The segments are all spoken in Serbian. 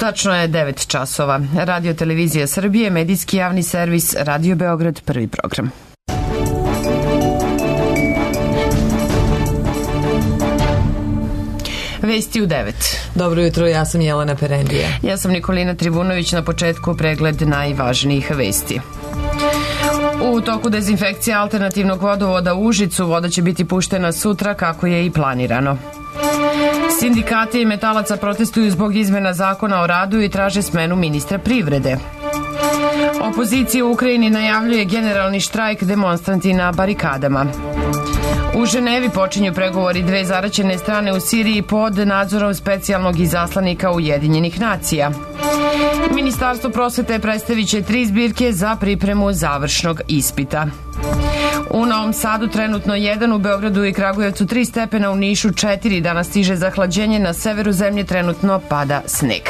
Tačno je 9 časova. Radio Televizija Srbije, medijski javni servis, Radio Beograd, prvi program. Vesti u 9. Dobro jutro, ja sam Jelena Perendija. Ja sam Nikolina Trivunović, na početku pregled najvažnijih vesti. U toku dezinfekcije alternativnog vodovoda u Užicu voda će biti puštena sutra kako je i planirano. Sindikati i metalaca protestuju zbog izmena zakona o radu i traže smenu ministra privrede. Opozicija u Ukrajini najavljuje generalni štrajk, demonstranti na barikadama. U Ženevi počinju pregovori dve zaraćene strane u Siriji pod nadzorom specijalnog izaslanika Ujedinjenih nacija. Ministarstvo prosvete predstavit će 3 zbirke za pripremu završnog ispita. U Novom Sadu trenutno 1, u Beogradu i Kragujevcu 3 stepena, u Nišu 4, danas stiže zahlađenje, na severu zemlje trenutno pada sneg.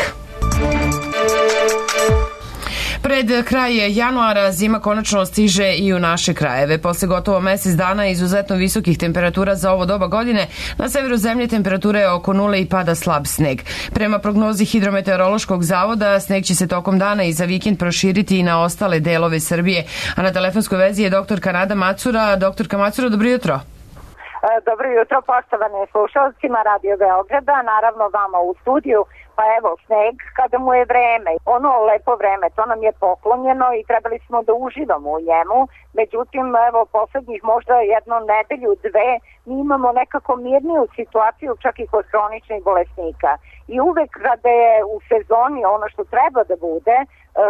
Pred kraj januara zima konačno stiže i u naše krajeve. Posle gotovo mesec dana izuzetno visokih temperatura za ovo doba godine, na severu zemlje temperatura je oko nule i pada slab sneg. Prema prognozi Hidrometeorološkog zavoda, sneg će se tokom dana i za vikend proširiti i na ostale delove Srbije. A na telefonskoj vezi je doktorka Nada Macura. Doktorka Macura, dobro jutro. Dobro jutro, poštovane slušalcima Radio Beograda, naravno vama u studiju. Pa evo, sneg kada mu je vreme, ono lepo vreme, to nam je poklonjeno i trebali smo da uživamo u njemu. Međutim, evo, poslednjih možda jednu nedelju, dve, mi imamo nekako mirniju situaciju čak i kod hroničnih bolesnika. I uvek kada je u sezoni ono što treba da bude,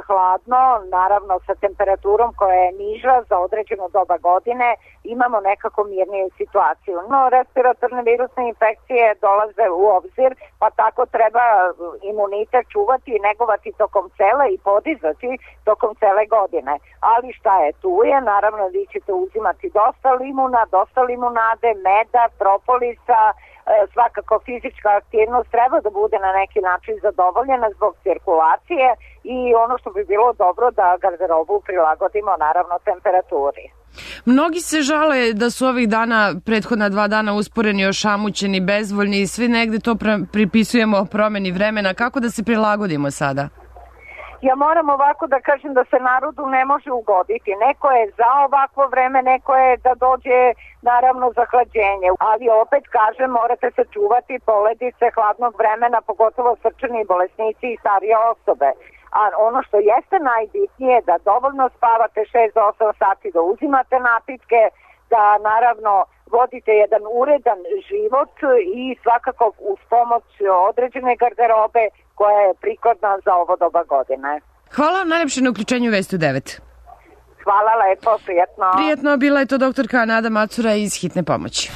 hladno, naravno sa temperaturom koja je niža za određeno doba godine, imamo nekako mirniju situaciju. No, respiratorne virusne infekcije dolaze u obzir, pa tako treba imunitet čuvati i negovati tokom cele i podizati tokom cele godine. Ali šta je, tu je, naravno vi ćete uzimati dosta limuna, dosta limunade, meda, propolisa, svakako fizička aktivnost treba da bude na neki način zadovoljena zbog cirkulacije i ono što bi bilo dobro da garderobu prilagodimo naravno temperaturi. Mnogi se žale da su ovih dana, prethodna 2 dana usporeni, ošamućeni, bezvoljni i svi negde to pripisujemo promeni vremena. Kako da se prilagodimo sada? Ja moram ovako da kažem da se narodu ne može ugoditi. Neko je za ovakvo vreme, neko je da dođe naravno zahlađenje. Ali opet kažem, morate se čuvati poledice hladnog vremena, pogotovo srčani bolesnici i starije osobe. A ono što jeste najbitnije je da dovoljno spavate 6 do 8 sati, da uzimate napitke, da naravno vodite jedan uredan život i svakako uz pomoć određene garderobe koja je prikladna za ovo doba godine. Hvala vam najlepše na uključenju Vesti u 9. Hvala lepo, prijatno. Prijatno, bila je to doktorka Nada Macura iz Hitne pomoći.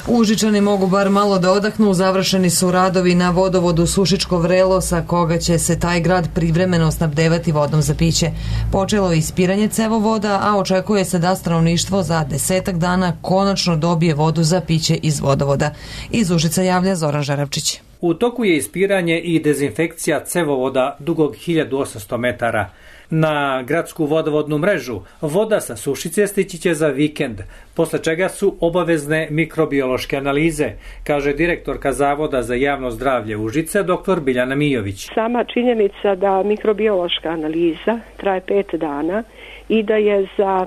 Užičani mogu bar malo da odahnu, završeni su radovi na vodovodu Sušičko Vrelo, sa koga će se taj grad privremeno snabdevati vodom za piće. Počelo je ispiranje cevovoda, a očekuje se da stanovništvo za 10 dana konačno dobije vodu za piće iz vodovoda. Iz Užica javlja Zoran Žaravčić. U toku je ispiranje i dezinfekcija cevovoda dugog 1800 metara. Na gradsku vodovodnu mrežu voda sa Sušice stići će za vikend, posle čega su obavezne mikrobiološke analize, kaže direktorka Zavoda za javno zdravlje Užice, dr. Biljana Mijović. Sama činjenica da mikrobiološka analiza traje 5 dana i da je za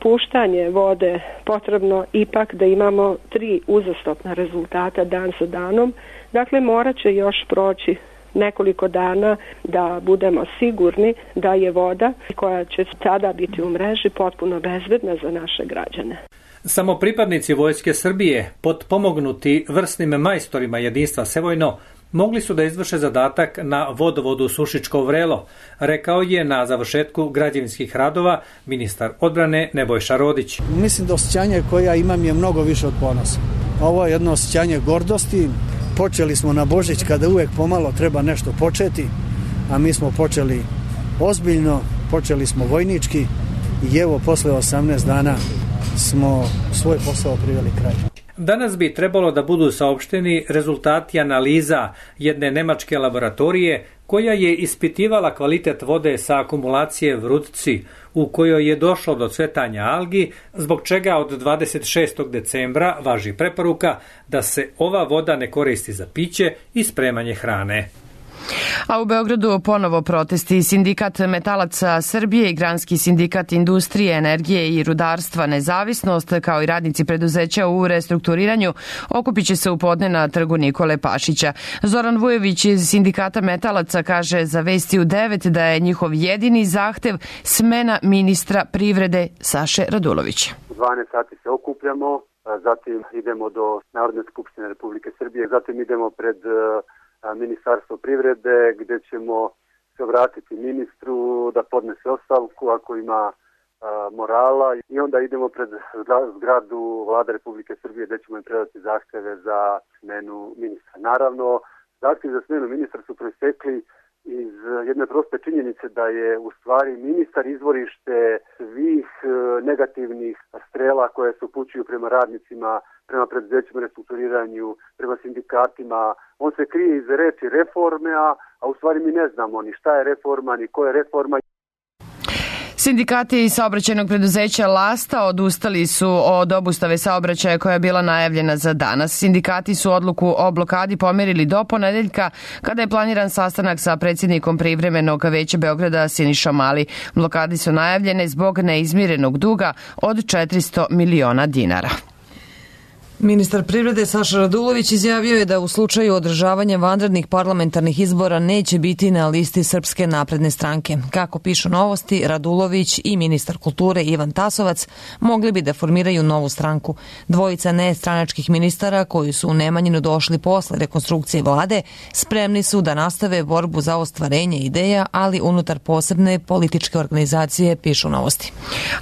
puštanje vode potrebno ipak da imamo 3 uzastopna rezultata dan sa danom, dakle morat će još proći nekoliko dana da budemo sigurni da je voda koja će sada biti u mreži potpuno bezbedna za naše građane. Samo pripadnici Vojske Srbije, potpomognuti vrsnim majstorima jedinstva Sevojno, mogli su da izvrše zadatak na vodovodu Sušičko Vrelo, rekao je na završetku građevinskih radova ministar odbrane Nebojša Rodić. Mislim da osjećanje koje ja imam je mnogo više od ponosa. Ovo je jedno osjećanje gordosti. Počeli smo na Božić kada uvek pomalo treba nešto početi, a mi smo počeli ozbiljno, počeli smo vojnički i evo posle 18 dana smo svoj posao priveli kraju. Danas bi trebalo da budu saopšteni rezultati analiza jedne nemačke laboratorije koja je ispitivala kvalitet vode sa akumulacije Vrutci, u kojoj je došlo do cvetanja algi, zbog čega od 26. decembra važi preporuka da se ova voda ne koristi za piće i spremanje hrane. A u Beogradu ponovo protesti. Sindikat metalaca Srbije i Granski sindikat industrije, energije i rudarstva Nezavisnost, kao i radnici preduzeća u restrukturiranju, okupit će se u podne na trgu Nikole Pašića. Zoran Vujović iz sindikata metalaca kaže za Vesti u 9 da je njihov jedini zahtev smena ministra privrede Saše Radulovića. U 12 sati se okupljamo, zatim idemo do Narodne skupštine Republike Srbije, zatim idemo pred Ministarstvo privrede gdje ćemo se obratiti ministru da podnese ostavku ako ima morala i onda idemo pred zgradu Vlade Republike Srbije gdje ćemo im predati zahtjeve za smenu ministra. Naravno, zahtjevi za smenu ministra su proistekli iz jedne proste činjenice da je u stvari ministar izvorište svih negativnih strela koje se upućuju prema radnicima, prema preduzećima restrukturiranju, prema sindikatima. On se krije iz reči reforme, a u stvari mi ne znamo ni šta je reforma, ni ko je reforma. Sindikati saobraćajnog preduzeća Lasta odustali su od obustave saobraćaja koja je bila najavljena za danas. Sindikati su odluku o blokadi pomerili do ponedeljka kada je planiran sastanak sa predsjednikom privremenog veća Beograda Sinišom Mali. Blokadi su najavljene zbog neizmirenog duga od 400 miliona dinara. Ministar privrede Saša Radulović izjavio je da u slučaju održavanja vanrednih parlamentarnih izbora neće biti na listi Srpske napredne stranke. Kako pišu Novosti, Radulović i ministar kulture Ivan Tasovac mogli bi da formiraju novu stranku. Dvojica nestranačkih ministara koji su u Nemanjinu došli posle rekonstrukcije vlade spremni su da nastave borbu za ostvarenje ideja, ali unutar posebne političke organizacije, pišu Novosti.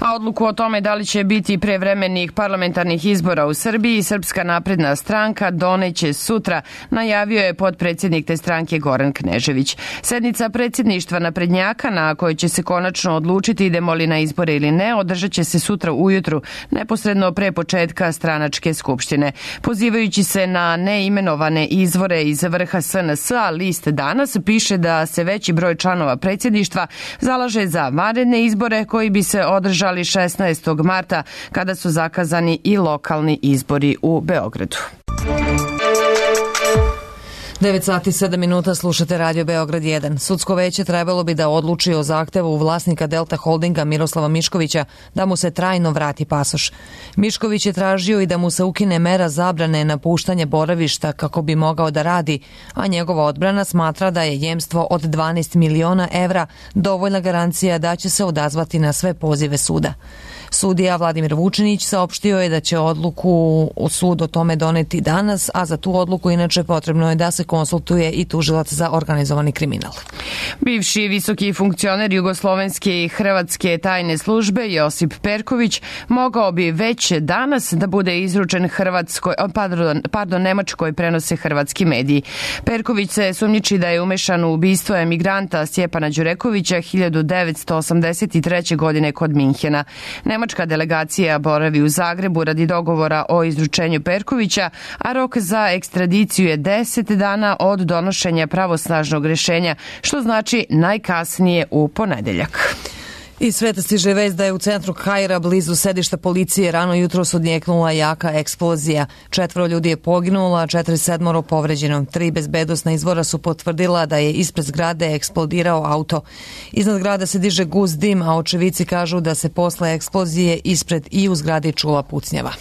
A odluku o tome da li će biti prevremenih parlamentarnih izbora u Srbiji Srpska napredna stranka doneće sutra, najavio je potpredsjednik te stranke Goran Knežević. Sednica predsjedništva naprednjaka na kojoj će se konačno odlučiti idemo li na izbore ili ne, održat će se sutra ujutru, neposredno pre početka stranačke skupštine. Pozivajući se na neimenovane izvore iz vrha SNS-a, list Danas piše da se veći broj članova predsjedništva zalaže za vanredne izbore koji bi se održali 16. marta kada su zakazani i lokalni izbori u Beogradu. 9 sati 7 minuta, slušate Radio Beograd 1. Sudsko veće trebalo bi da odluči o zahtevu vlasnika Delta Holdinga Miroslava Miškovića da mu se trajno vrati pasoš. Mišković je tražio i da mu se ukine mera zabrane napuštanja boravišta kako bi mogao da radi, a njegova odbrana smatra da je jemstvo od 12 miliona evra dovoljna garancija da će se odazvati na sve pozive suda. Sudija Vladimir Vučinić saopštio je da će odluku o sud o tome doneti danas, a za tu odluku inače potrebno je da se konsultuje i tužilac za organizovani kriminal. Bivši visoki funkcioner jugoslovenske i hrvatske tajne službe Josip Perković mogao bi već danas da bude izručen Nemačkoj, prenose hrvatski mediji. Perković se sumnjiči da je umešan u ubistvo emigranta Stjepana Đurekovića 1983. godine kod Minhena. Nemačka delegacija boravi u Zagrebu radi dogovora o izručenju Perkovića, a rok za ekstradiciju je 10 dana od donošenja pravosnažnog rješenja, što znači najkasnije u ponedeljak. Iz sveta stiže vest da je u centru Kaira blizu sedišta policije rano jutros odnjeknula jaka eksplozija. 4 ljudi je poginulo, a 47 povređeno. 3 bezbednosna izvora su potvrdila da je ispred zgrade eksplodirao auto. Iznad grada se diže gust dim, a očevici kažu da se posle eksplozije ispred i u zgradi čula pucnjava.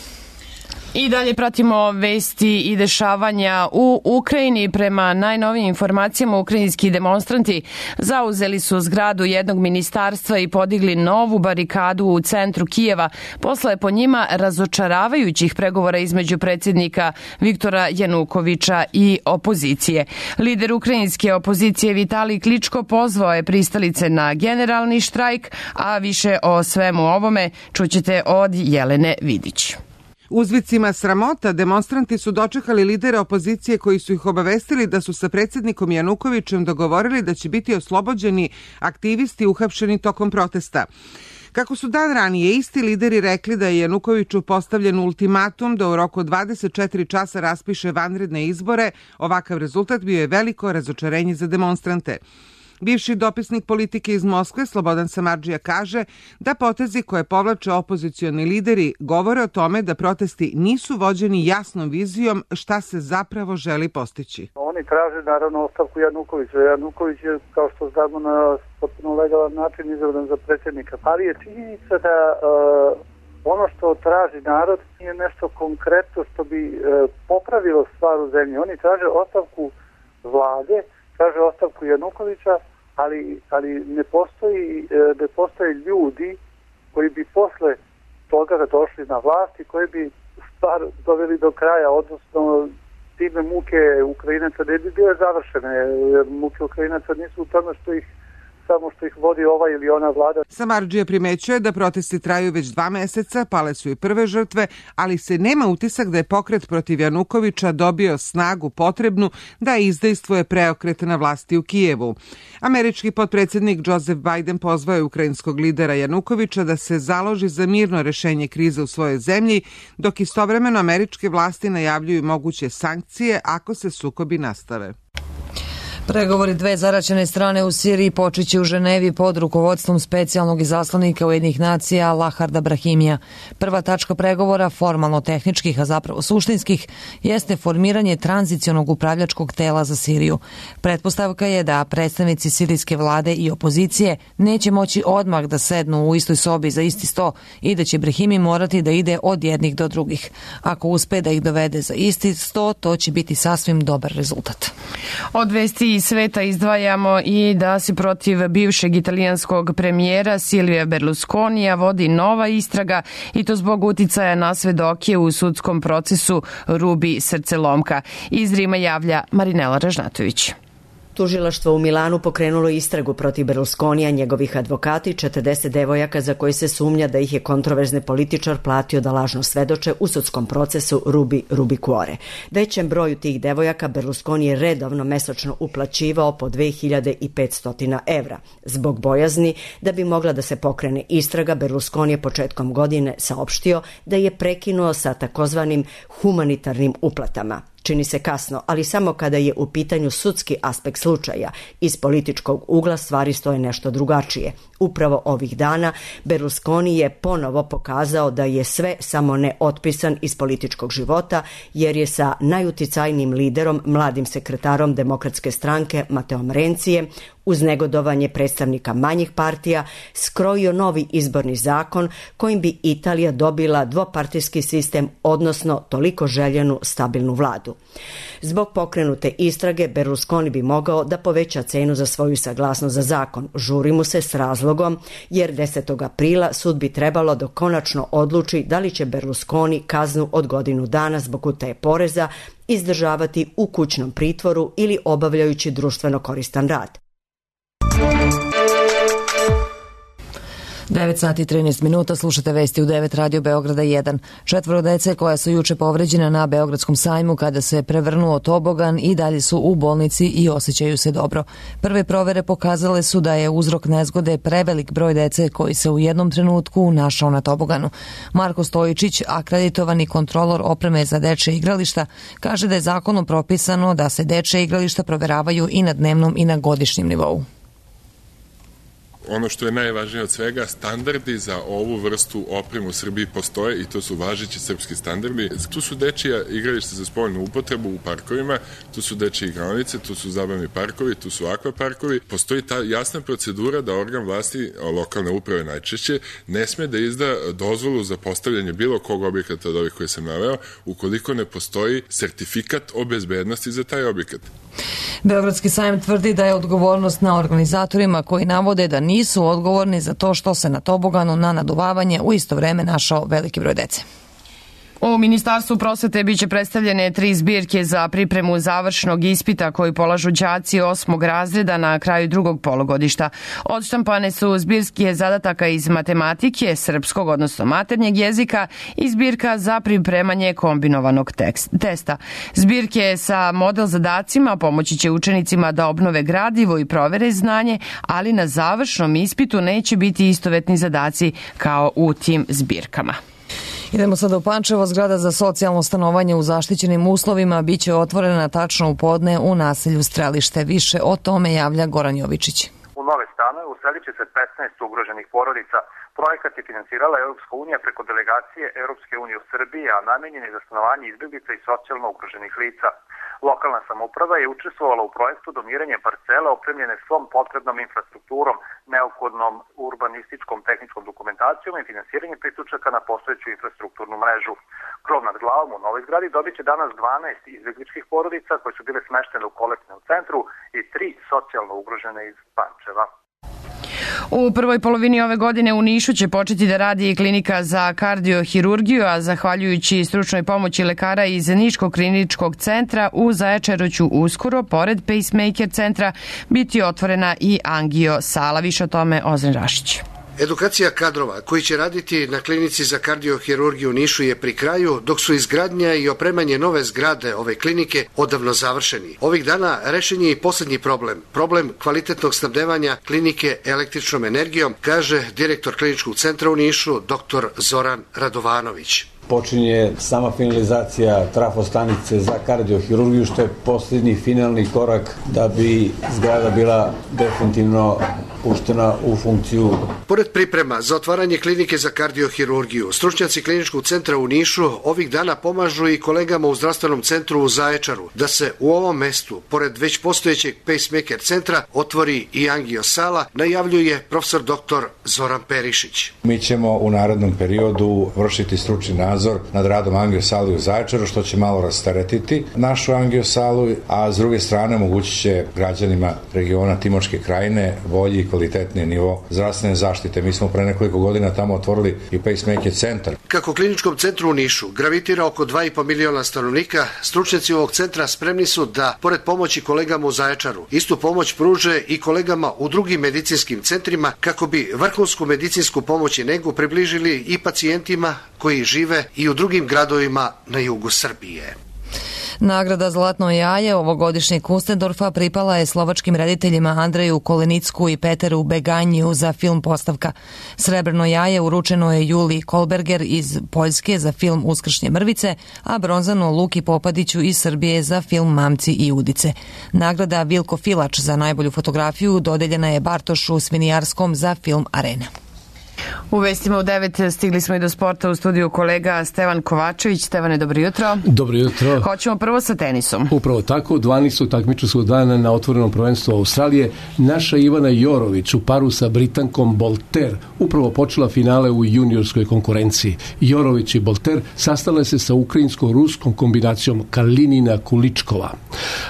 I dalje pratimo vesti i dešavanja u Ukrajini. Prema najnovijim informacijama, ukrajinski demonstranti zauzeli su zgradu jednog ministarstva i podigli novu barikadu u centru Kijeva posle po njima razočaravajućih pregovora između predsjednika Viktora Janukovića i opozicije. Lider ukrajinske opozicije Vitalij Kličko pozvao je pristalice na generalni štrajk, a više o svemu ovome čućete od Jelene Vidić. Uzvicima sramota demonstranti su dočekali lidera opozicije koji su ih obavestili da su sa predsjednikom Janukovićem dogovorili da će biti oslobođeni aktivisti uhapšeni tokom protesta. Kako su dan ranije isti lideri rekli da je Janukoviću postavljen ultimatum da u roku 24 časa raspiše vanredne izbore, ovakav rezultat bio je veliko razočarenje za demonstrante. Bivši dopisnik politike iz Moskve Slobodan Samardžija kaže da potezi koje povlače opozicioni lideri govore o tome da protesti nisu vođeni jasnom vizijom šta se zapravo želi postići. oni traže naravno ostavku Janukovića. Januković je, kao što znamo, na potpuno legalan način izabran za predsjednika. Ali je činjenica da ono što traži narod nije nešto konkretno što bi popravilo stvar u zemlji. Oni traže ostavku vlade, traže ostavku Janukovića, ali ne postoje ljudi koji bi posle toga došli na vlast i koji bi stvar doveli do kraja, odnosno time muke Ukrajinaca ne bi bile završene, jer muke Ukrajinaca nisu u tome što ih vodi ova ili ona vlada. Samardžija primećuje da protesti traju već 2 meseca, pale su i prve žrtve, ali se nema utisak da je pokret protiv Janukovića dobio snagu potrebnu da izdejstvuje preokret na vlasti u Kijevu. Američki potpredsjednik Joseph Biden pozvao je ukrajinskog lidera Janukovića da se založi za mirno rešenje krize u svojoj zemlji, dok istovremeno američke vlasti najavljuju moguće sankcije ako se sukobi nastave. Pregovori dve zaraćene strane u Siriji počeće u Ženevi pod rukovodstvom specijalnog izaslanika Ujedinjenih nacija Laharda Brahimija. Prva tačka pregovora, formalno tehničkih, a zapravo suštinskih, jeste formiranje tranzicionog upravljačkog tela za Siriju. Pretpostavka je da predstavnici sirijske vlade i opozicije neće moći odmah da sednu u istoj sobi za isti sto i da će Brahimi morati da ide od jednih do drugih. Ako uspe da ih dovede za isti sto, to će biti sasvim dobar rezultat. Od vesti iz sveta izdvajamo i da se protiv bivšeg italijanskog premijera Silvija Berlusconija vodi nova istraga i to zbog uticaja na svedoke u sudskom procesu Rubi Srcelomka. Iz Rima javlja Marinela Ražnatović. Tužilaštvo u Milanu pokrenulo istragu protiv Berlusconija, njegovih advokati, 40 devojaka za koje se sumnja da ih je kontroverzni političar platio da lažno svedoče u sudskom procesu Rubi Cuore. Većem broju tih devojaka Berlusconi je redovno mesečno uplaćivao po 2500 evra. Zbog bojazni da bi mogla da se pokrene istraga, Berlusconi je početkom godine saopštio da je prekinuo sa takozvanim humanitarnim uplatama. Čini se kasno, ali samo kada je u pitanju sudski aspekt slučaja. Iz političkog ugla stvari stoje nešto drugačije. Upravo ovih dana Berlusconi je ponovo pokazao da je sve samo ne otpisan iz političkog života, jer je sa najuticajnijim liderom, mladim sekretarom Demokratske stranke Mateom Rencije, uz negodovanje predstavnika manjih partija, skrojio novi izborni zakon kojim bi Italija dobila dvopartijski sistem, odnosno toliko željenu stabilnu vladu. Zbog pokrenute istrage, Berlusconi bi mogao da poveća cenu za svoju saglasnost za zakon. Žuri mu se s razlogom, jer 10. aprila sud bi trebalo da konačno odluči da li će Berlusconi kaznu od godinu dana zbog utaje poreza izdržavati u kućnom pritvoru ili obavljajući društveno koristan rad. 9 sati i 13 minuta, slušate vesti u 9 Radio Beograda 1. 4 dece koja su juče povređena na Beogradskom sajmu kada se prevrnuo tobogan i dalje su u bolnici i osjećaju se dobro. Prve provere pokazale su da je uzrok nezgode prevelik broj dece koji se u jednom trenutku našao na toboganu. Marko Stojičić, akreditovani kontrolor opreme za dečje igrališta, kaže da je zakonom propisano da se dečje igrališta proveravaju i na dnevnom i na godišnjem nivou. Ono što je najvažnije od svega, standardi za ovu vrstu opreme u Srbiji postoje i to su važeći srpski standardi. Tu su dečija igrališta za spoljnu upotrebu u parkovima, tu su dečije igronice, tu su zabavni parkovi, tu su akvaparkovi. Postoji ta jasna procedura da organ vlasti, lokalne uprave najčešće, ne sme da izda dozvolu za postavljanje bilo kog objekata od ovih koje sam naveo, ukoliko ne postoji sertifikat o bezbednosti za taj objekat. Beogradski sajam tvrdi da je odgovornost na organizatorima koji navode da nisu odgovorni za to što se na toboganu na naduvavanje u isto vreme našao veliki broj dece. U Ministarstvu prosvete biće predstavljene 3 zbirke za pripremu završnog ispita koji polažu đaci 8. razreda na kraju drugog polugodišta. Odštampane su zbirke zadataka iz matematike, srpskog, odnosno maternjeg jezika i zbirka za pripremanje kombinovanog testa. Zbirke sa model zadacima pomoći će učenicima da obnove gradivo i provere znanje, ali na završnom ispitu neće biti istovetni zadaci kao u tim zbirkama. Idemo sada u Pančevo. Zgrada za socijalno stanovanje u zaštićenim uslovima biće otvorena tačno u podne u naselju Strelište. Više o tome javlja Goran Jovičić. U nove stanove uselit će se 15 ugroženih porodica. Projekat je finansirala Europska unija preko delegacije Europske unije u Srbiji, a namenjen je za stanovanje izbjeglica i socijalno ugroženih lica. Lokalna samouprava je učestvovala u projektu doniranja parcele opremljene svom potrebnom infrastrukturom, neophodnom urbanističkom tehničkom dokumentacijom i finansiranje priključaka na postojeću infrastrukturnu mrežu. Krov nad glavom u novoj zgradi dobit će danas 12 izbegličkih porodica koje su bile smeštene u kolektivnom centru i 3 socijalno ugrožene iz Pančeva. U prvoj polovini ove godine u Nišu će početi da radi i klinika za kardiohirurgiju, a zahvaljujući stručnoj pomoći lekara iz Niškog kliničkog centra u Zaječaru će uskoro, pored pacemaker centra, biti otvorena i angio sala. Više o tome Ozren Rašić. Edukacija kadrova koji će raditi na klinici za kardiohirurgiju u Nišu je pri kraju, dok su izgradnja i opremanje nove zgrade ove klinike odavno završeni. Ovih dana rešen je i poslednji problem kvalitetnog snabdevanja klinike električnom energijom, kaže direktor kliničkog centra u Nišu, dr. Zoran Radovanović. Počinje sama finalizacija trafostanice za kardiohirurgiju, što je posljednji finalni korak da bi zgrada bila definitivno puštena u funkciju. Pored priprema za otvaranje klinike za kardiohirurgiju, stručnjaci kliničkog centra u Nišu ovih dana pomažu i kolegama u zdravstvenom centru u Zaječaru da se u ovom mestu, pored već postojećeg pacemaker centra, otvori i angio sala, najavljuje profesor dr. Zoran Perišić. Mi ćemo u narednom periodu vršiti stručni nadzor nad radom angio sali u Zaječaru, što će malo rasteretiti našu angio salu, a s druge strane omogućit će građanima regiona Timočke krajine bolji i kvalitetniji nivo zdravstvene zaštite. Mi smo pre nekoliko godina tamo otvorili i pacemaker centar. Kako kliničkom centru u Nišu gravitira oko 2,5 miliona stanovnika, stručnjaci ovog centra spremni su da, pored pomoći kolegama u Zaječaru, istu pomoć pruže i kolegama u drugim medicinskim centrima kako bi vrhunsku medicinsku pomoć i negu približili i pacijentima koji žive i u drugim gradovima na jugu Srbije. Nagrada Zlatno jaje ovogodišnjeg Kustendorfa pripala je slovačkim rediteljima Andreju Kolenicku i Peteru Beganjiju za film Postavka. Srebrno jaje uručeno je Juliji Kolberger iz Poljske za film Uskršnje mrvice, a bronzano Luki Popadiću iz Srbije za film Mamci i udice. Nagrada Vilko Filač za najbolju fotografiju dodeljena je Bartošu Svinijarskom za film Arena. U vestima u 9 stigli smo i do sporta, u studiju kolega Stevan Kovačević. Stevane, dobro jutro. Dobro jutro. Hoćemo prvo sa tenisom. Upravo tako, 12. takmičarskog dana na otvorenom prvenstvu Australije, naša Ivana Jorović u paru sa Britankom Bolter upravo počela finale u juniorskoj konkurenciji. Jorović i Bolter sastale se sa ukrajinsko-ruskom kombinacijom Kalinina Kuličkova.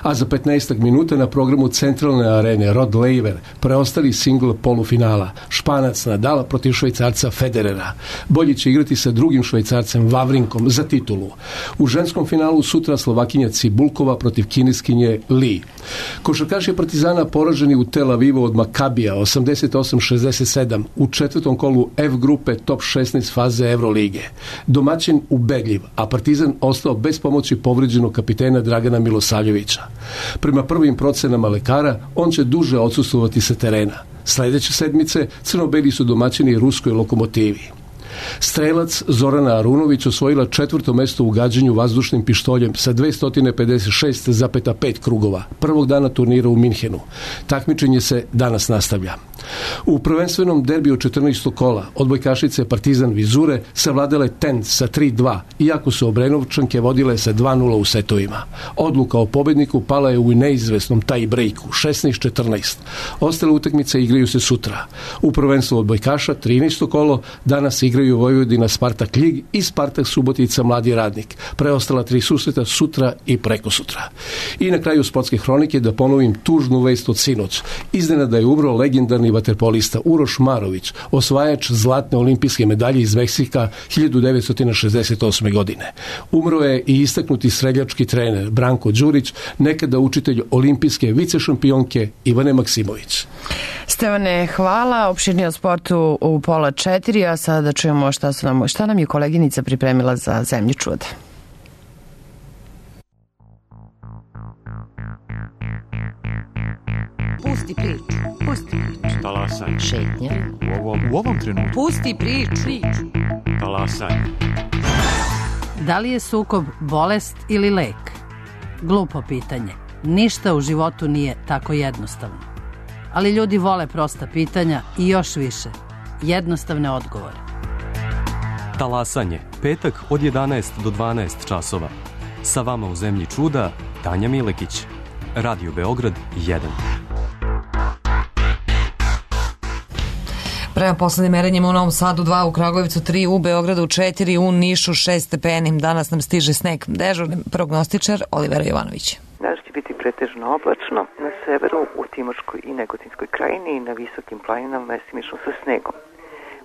A za 15 minuta na programu centralne arene Rod Laver preostali singl polufinala. Španac Nadal protiv Švajcarca Federera. Bolji će igrati sa drugim Švajcarcem Vavrinkom za titulu. U ženskom finalu sutra Slovakinja Cibulkova protiv Kineskinje Li. Košarkaši Partizana poraženi u Tel Avivu od Makabija 88-67 u četvrtom kolu F grupe top 16 faze Evrolige. Domaćin ubedljiv, a Partizan ostao bez pomoći povređenog kapitena Dragana Milosavljevića. Prema prvim procenama lekara, on će duže odsustvovati sa terena. Sljedeće sedmice crno-beli su domaćini ruskoj Lokomotivi. Strelac Zorana Arunović osvojila 4. mesto u gađanju vazdušnim pištoljem sa 256,5 krugova prvog dana turnira u Minhenu. Takmičenje se danas nastavlja. U prvenstvenom derbiju 14. kola odbojkašice Partizan Vizure savladale Tent sa 3-2, iako su Obrenovčanke vodile sa 2-0 u setovima. Odluka o pobedniku pala je u neizvesnom tie breaku 16-14. Ostale utakmice igraju se sutra. U prvenstvu odbojkaša 13. kolo danas igraju Vojvodina Spartak Ljig i Spartak Subotica Mladi Radnik. Preostala 3 susreta sutra i prekosutra. I na kraju sportske hronike da ponovim tužnu vest od sinoć. Iznenada je umro legendarni vaterpolista Uroš Marović, osvajač zlatne olimpijske medalje iz Meksika 1968. godine. Umro je i istaknuti streljački trener Branko Đurić, nekada učitelj olimpijske vicešampionke Ivane Maksimović. Stevane, hvala. Opširnije o sportu u 3:30, a sada čujemo šta nam je koleginica pripremila za Zemlju čuda. Pusti priču. Talasaj. Šetnja. U ovom trenutku. Pusti priču. Talasaj. Da li je sukob bolest ili lek? Glupo pitanje. Ništa u životu nije tako jednostavno. Ali ljudi vole prosta pitanja i još više jednostavne odgovore. Talasanje. Petak od 11 do 12 časova. Sa vama u zemlji čuda, Tanja Milekić. Radio Beograd 1. Prema poslednjim merenjima u Novom Sadu 2, u Kragujevcu 3, u Beogradu 4, u Nišu 6 stepeni. Danas nam stiže sneg. Dežurni prognostičar Olivera Jovanović. Danas će biti pretežno oblačno, na severu, u Timočkoj i Negotinskoj krajini i na visokim planinama mestimično sa snegom.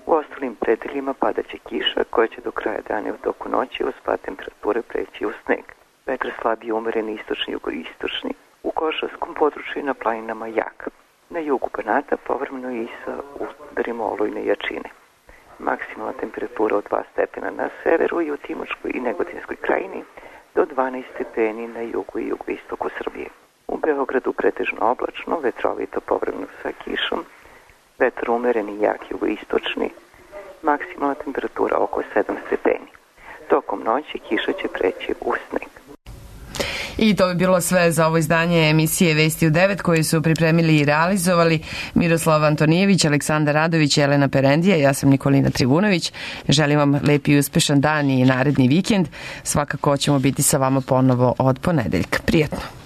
U ostalim predeljima padaće kiša koja će do kraja dana u toku noći uz pad temperature preći u sneg. Vetar slabije umereni istočni jugoistočni, u košarskom području i na planinama jak. Na jugu Banata povremeno i sa udarima olujne jačine. Maksimalna temperatura od 2 stepena na severu i u Timočkoj i Negotinskoj krajini do 12 stepeni na jugu i jugoistoku Srbije. U Beogradu pretežno oblačno, vetrovito povremeno sa kišom, vetar umereni jak jugoistočni, maksimalna temperatura oko 7 stepeni. Tokom noći kiša će preći u sneg. I to bi bilo sve za ovo izdanje emisije Vesti u 9 koje su pripremili i realizovali Miroslav Antonijević, Aleksandar Radović i Elena Perendija. Ja sam Nikolina Trivunović. Želim vam lep i uspešan dan i naredni vikend. Svakako ćemo biti sa vama ponovo od ponedeljka. Prijetno.